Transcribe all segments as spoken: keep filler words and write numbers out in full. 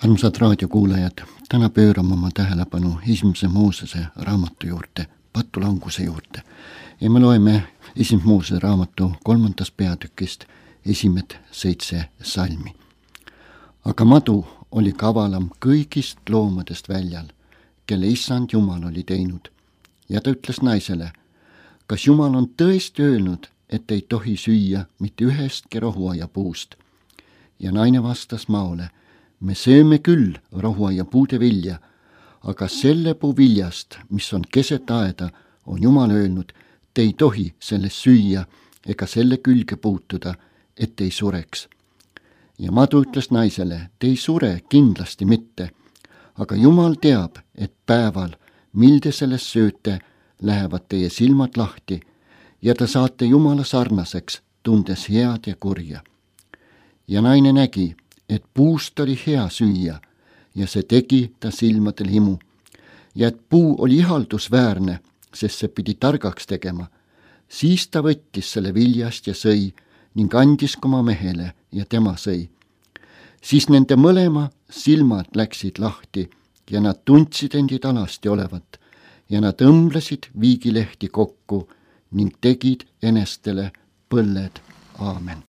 Armsad raadiokuulajad, täna pöörame oma tähelepanu esimese Moosese raamatu juurde, patulanguse juurde. Ja me loeme esimese Moosese raamatu kolmandast peatükist esimesed seitse salmi. Aga madu oli kavalam kõigist loomadest väljal, kelle issand Jumal oli teinud. Ja ta ütles naisele, kas Jumal on tõesti öelnud, et ei tohi süüa mitte ühestki rohuaia puust? Ja naine vastas maole, me sööme küll rohuaia puude vilja, aga selle puu viljast, mis on keset aeda, on Jumal öelnud, te ei tohi sellest süüa ega selle külge puutuda, et ei sureks. Ja madu ütles naisele, te ei sure kindlasti mitte, aga Jumal teab, et päeval, mil te sellest sööte, lähevad teie silmad lahti ja te saate Jumala sarnaseks, tundes head ja kurja. Ja naine nägi, et puust oli hea süüa ja see tegi ta silmadel himu ja et puu oli ihaldusväärne, sest see pidi targaks tegema. Siis ta võttis selle viljast ja sõi ning andis oma mehele ja tema sõi. Siis nende mõlema silmad läksid lahti ja nad tundsid endid alasti olevat ja nad õmblesid viigilehti kokku ning tegid enestele põlled. Aamen.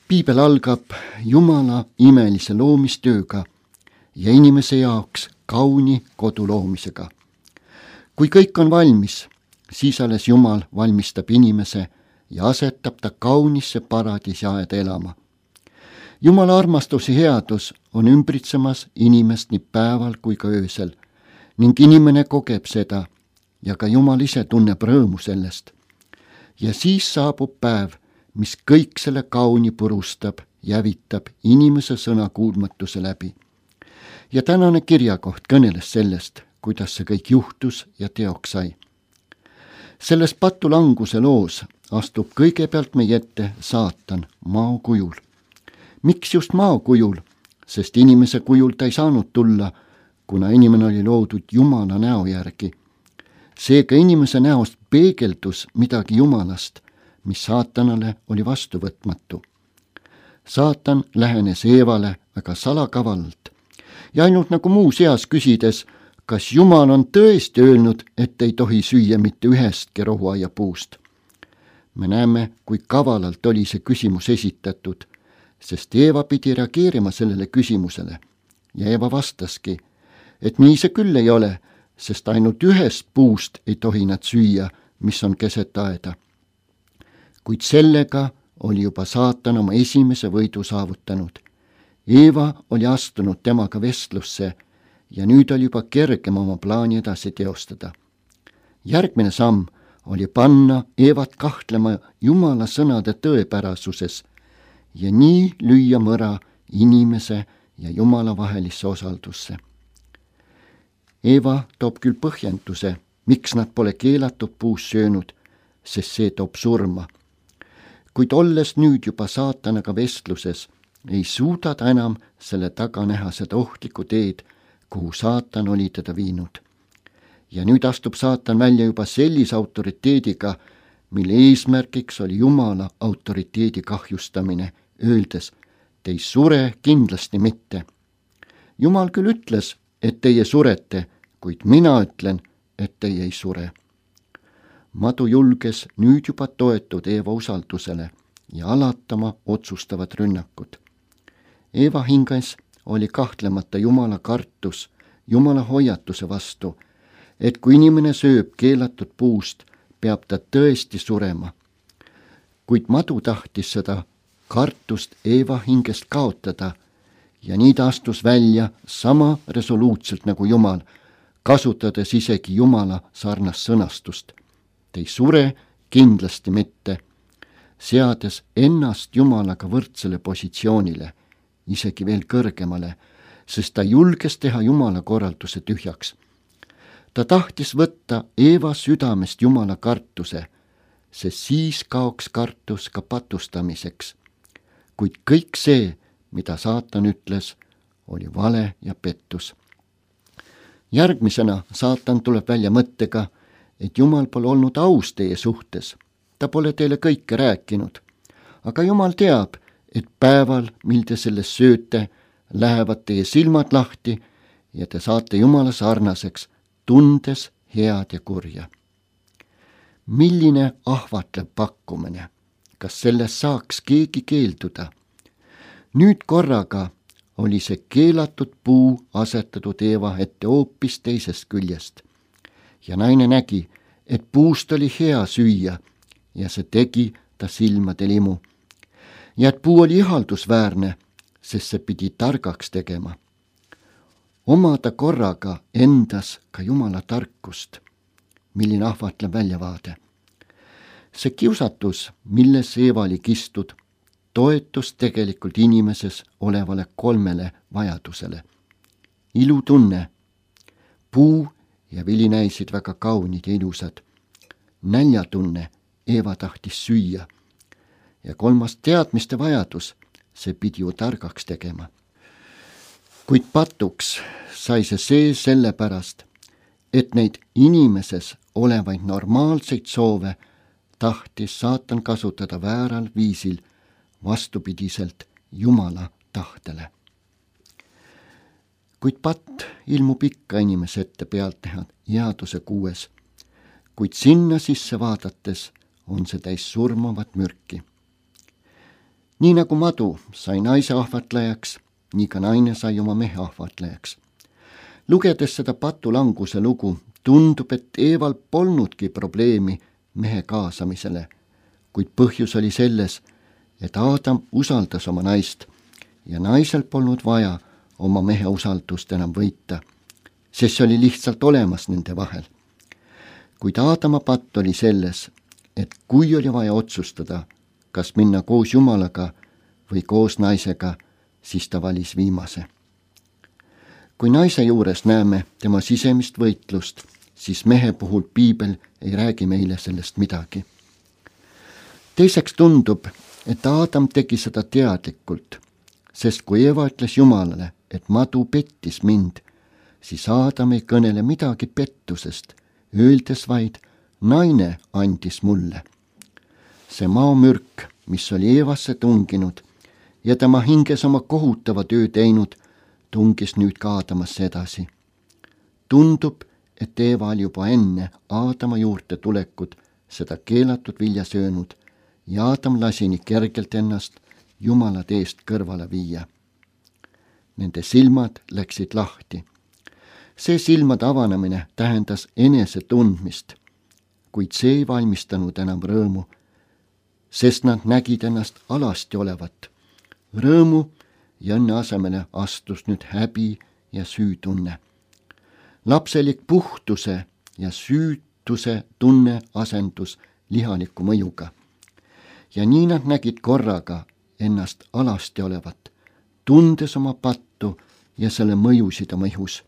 Piibel algab Jumala imelise loomistööga ja inimese jaoks kauni kodu loomisega. Kui kõik on valmis, siis alles Jumal valmistab inimese ja asetab ta kaunisse paradiisi aeda elama. Jumala armastus ja headus on ümbritsemas inimest nii päeval kui ka öösel ning inimene kogeb seda ja ka Jumal ise tunneb rõõmu sellest. Ja siis saabub päev, mis kõik selle kauni purustab, jävitab inimese sõna kuulmatuse läbi. Ja tänane kirjakoht kõneles sellest, kuidas see kõik juhtus ja teoks sai. Selles patulanguse loos astub kõigepealt meie ette saatan mao kujul. Miks just mao kujul? Sest inimese kujul ta ei saanud tulla, kuna inimene oli loodud Jumala näo järgi. Seega inimese näost peegeldus midagi Jumalast, mis saatanale oli vastuvõtmatu. Saatan lähenes Eevale väga salakavalalt ja ainult nagu muu seas küsides, kas Jumal on tõesti öelnud, et ei tohi süüa mitte ühestki rohuaia puust. Me näeme, kui kavalalt oli see küsimus esitatud, sest Eeva pidi reageerima sellele küsimusele ja Eeva vastaski, et nii see küll ei ole, sest ainult ühest puust ei tohi nad süüa, mis on keset aeda. Kuid sellega oli juba saatan oma esimese võidu saavutanud. Eeva oli astunud temaga vestlusse ja nüüd oli juba kergem oma plaani edasi teostada. Järgmine samm oli panna Eevat kahtlema Jumala sõnade tõepärasuses ja nii lüüa mõra inimese ja Jumala vahelisse osaldusse. Eeva toob küll põhjenduse, miks nad pole keelatud puus söönud, sest see toob surma. Kuid olles nüüd juba saatanaga vestluses, ei suuda ta enam selle taga näha seda ohtlikku teed, kuhu saatan oli teda viinud. Ja nüüd astub saatan välja juba sellise autoriteediga, mille eesmärgiks oli Jumala autoriteedi kahjustamine, öeldes, te ei sure kindlasti mitte. Jumal küll ütles, et teie surete, kuid mina ütlen, et teie ei sure. Madu julges nüüd juba toetud Eeva usaldusele ja alatama otsustavad rünnakud. Eeva hinges oli kahtlemata Jumala kartus, Jumala hoiatuse vastu, et kui inimene sööb keelatud puust, peab ta tõesti surema. Kuid madu tahtis seda kartust Eeva hingest kaotada ja nii ta astus välja sama resoluutselt nagu Jumal, kasutades isegi Jumala sarnast sõnastust. Te ei sure kindlasti mitte, seades ennast Jumalaga võrdsele positsioonile, isegi veel kõrgemale, sest ta julges teha Jumala korralduse tühjaks. Ta tahtis võtta Eeva südamest Jumala kartuse, sest siis kaoks kartus ka patustamiseks. Kuid kõik see, mida saatan ütles, oli vale ja pettus. Järgmisena saatan tuleb välja mõttega, et Jumal pole olnud aus teie suhtes. Ta pole teile kõike rääkinud. Aga Jumal teab, et päeval, mil te sellest sööte, lähevad teie silmad lahti ja te saate Jumala sarnaseks, tundes head ja kurja. Milline ahvatlev pakkumine, kas sellest saaks keegi keelduda? Nüüd korraga oli see keelatud puu asetatud Eeva ette hoopis teisest küljest ja naine nägi, et puust oli hea süüa ja see tegi ta silmade limu. Ja et puu oli ihaldusväärne, sest see pidi targaks tegema. Omada korraga endas ka Jumala tarkust, milline ahvatlev väljavaade. See kiusatus, milles Eeva oli kistud, toetus tegelikult inimeses olevale kolmele vajadusele. Ilutunne, puu ja vili näisid väga kaunid ja ilusad. Näljatunne, Eeva tahtis süüa. Ja kolmas teadmiste vajadus, see pidi ju targaks tegema. Kuid patuks sai see see sellepärast, et neid inimeses olevaid normaalseid soove tahtis saatan kasutada vääral viisil vastupidiselt Jumala tahtele. Kuid patt ilmub ikka inimese ette pealtnäha headuse kuues, kuid sinna sisse vaadates on see täis surmavat mürki. Nii nagu madu sai naise ahvatlejaks, nii ka naine sai oma mehe ahvatlejaks. Lugedes seda patulanguse lugu, tundub, et Eeval polnudki probleemi mehe kaasamisele, kuid põhjus oli selles, et Aadam usaldas oma naist ja naisel polnud vaja oma mehe usaldust enam võita, sest see oli lihtsalt olemas nende vahel. Kuid Aadama patt oli selles, et kui oli vaja otsustada, kas minna koos Jumalaga või koos naisega, siis ta valis viimase. Kui naise juures näeme tema sisemist võitlust, siis mehe puhul piibel ei räägi meile sellest midagi. Teiseks tundub, et Aadam tegi seda teadlikult, sest kui Eeva ütles Jumalale, et madu pettis mind, siis Aadam ei kõnele midagi pettusest, öeldes vaid, naine andis mulle. See maomürk, mis oli Eevasse tunginud ja tema hinges oma kohutava töö teinud, tungis nüüd ka Aadamasse edasi. Tundub, et Eeva oli juba enne Aadama juurde tulekut seda keelatud vilja söönud ja Aadam lasi nii kergelt ennast Jumala teest kõrvale viia. Nende silmad läksid lahti. See silmade avanemine tähendas enese tundmist, kuid see ei valmistanud enam rõõmu, sest nad nägid ennast alasti olevat. Rõõmu ja õnne asemele astus nüüd häbi ja süütunne. Lapselik puhtuse ja süütuse tunne asendus lihaliku mõjuga. Ja nii nad nägid korraga ennast alasti olevat, tundes oma pattu ja selle mõjusid oma ihus.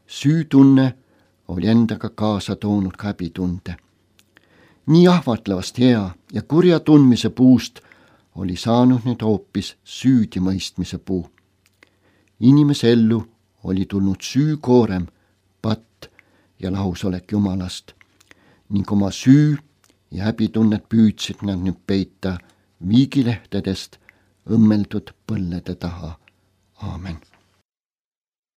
Süütunne oli endaga kaasa toonud ka häbitunde. Nii ahvatlevast hea ja kurja tundmise puust oli saanud nüüd hoopis süüdimõistmise puu. Inimese ellu oli tulnud süükoorem, patt ja lahusolek Jumalast ning oma süü ja häbitunnet püüdsid nad nüüd peita viigilehtedest õmmeldud põllede taha. Aamen.